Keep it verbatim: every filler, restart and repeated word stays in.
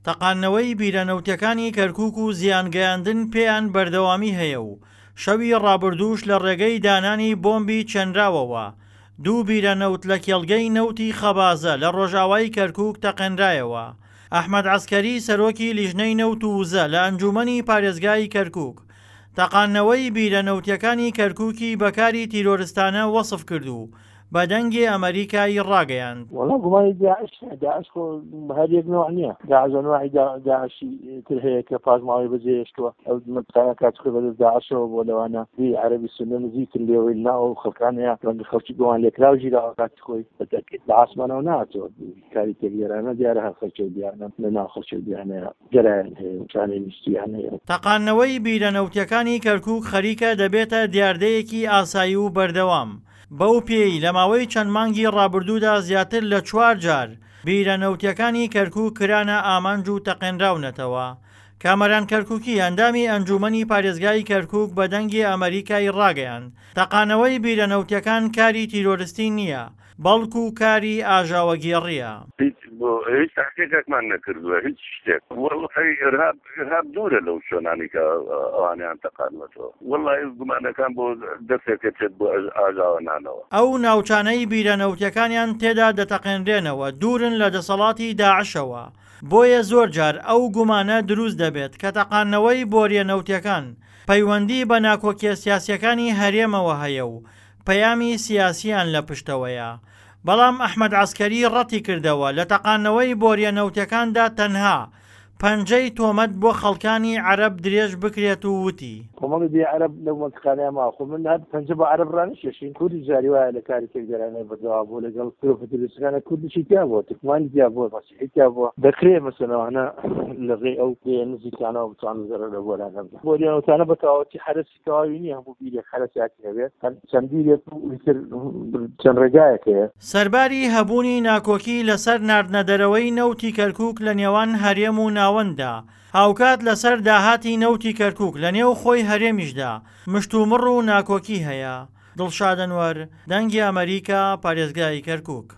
تەقاندنەوەی بیرە نەوتیەکانی کەرکوک و زیانگەیاندن پێیان بەردەوامی هەیە و شەوی ڕابردووش لە ڕێگەی دانانی بۆمبی چێنراوەوە دوو بیرە نەوت لە کێڵگەی نەوتی خەبازە لە ڕۆژاوای کەرکوک تەقێنرایەوە. ئەحمەد عەسکەری سەرۆکی لیژنەی نەوت و وزە لە ئەنجومەنی پارێزگای کەرکوک تەقاندنەوەی بیرە نەوتیەکانی کەرکوکی بە کاری تیرۆرستانە وەسف کرد و بە دەنگی ئەمەریکای ڕاگەیاند. وەڵا گومانی داعش داعش خۆ هەر یەک نوع نییە، داعش ئەنواعی داعشی تر هەیە کە پاشماوەی بەجێهێشتووە. ئەو مەنتقانە کاتی خۆی بەدەست داعشەوە بووە، لەوانە بی عەرەبی سوننە نزیکن لێوەی لەناو ئەو خەڵکانەیە ڕەنگە خەڵکی گومان لێکراو گیراوە کاتی خۆی بە تەئکید لە ئاسمانەوە نەهاتووە. کاری تێکدەرانە دیارە هەر خەڵکی و دیانە لەناو خەڵکی و دیانەیە گەرایان هەیە و شانەی نیشتیان هەیە. تەقاندنەوەی بیرە نەوتیەکانی کەرکوک خەریکە دەبێتە دیاردەیەکی ئاسایی و بەردەوام، بەو پێیەی لە ماوەی چەند مانگی ڕابردوودا زیاتر لە چوار جار بیرە نەوتیەکانی کەرکوک کرانە ئامانج و تەقێنراونەتەوە. کامەران کەرکوکی ئەندامی ئەنجومەنی پارێزگای کەرکوک بە دەنگی ئەمەریکای ڕاگەیاند، تەقانەوەی بیرە نەوتیەکان کاری تیرۆرستی نییە، بەڵکو کاری ئاژاوەگێڕییە. هیچ بۆ هیچ تحقیقێکمان نەکردووە هیچ شتێک وەڵی ئرهاب ئرهاب دوورە لەو شوێنانی کە ئەوانیان تەقانوەتەوە وەڵی گومانەکان بۆ دەستێک دەچێت بۆ ئاژاوە نانەوە. ئەو ناوچانەی بیرە نەوتیەکانیان تێدا دەتەقێنرێنەوە دوورن لە دەسەڵاتی داعشەوە، بۆیە زۆر جار ئەو گومانە دروست دەبێت کە تەقاندنەوەی بۆریە نەوتیەکان پەیوەندی بە ناکۆکیە سیاسیەکانی هەرێمەوە هەیە و پەیامی سیاسیان لە پشتەوەیە. بەڵام ئەحمەد عەسکەری ڕەتیکردەوە لە تەقاندنەوەی بۆریە نەوتیەکاندا تەنها پەنجەی تۆمەت بۆ خەڵکانی عەرەب درێژ بکرێت و وتی. کۆمەڵی بێ عەرەب لەو مەنتقانەیە ماوە، خۆ من هەر پەنجە بۆ عەرەب ڕانەکێشین، کوردیش جاری وایە لە کاری تێکدەرانە بەردەوام بووە لەگەڵ گروپە تیرۆریستەکانە، کوردیشی تیا بووە، تورکمانی تیا بووە، مەسیحی تیا بووە، دەکرێ مەسەلەن ئەوانە لە ڕێی ئەو پێیە نزیکانەوە بتوانن زەرەر لە بۆرانە بدەن. بۆریە نەوتانە بە تەواوەتی حەرەسی تەواوی نییە، هەموو بیرێک حەرەسیاتی هەبێت، هەر چەند بیرێک و ئیتر چەند ڕێگایەک هەیە. سەرباری هەبوونی ناکۆکی لەسەر ناردنەدەرەوەی نەوتی کەرکوک لە نێوان هەرێم و ناوەنددا، هاوکات لەسەر داهاتی نەوتی کەرکوک لە نێو خۆی هەرێمیشدا مشتومڕ و ناکۆکی هەیە. دڵشاد ئەنوەر، دەنگی ئەمەریکا، پارێزگای کەرکوک.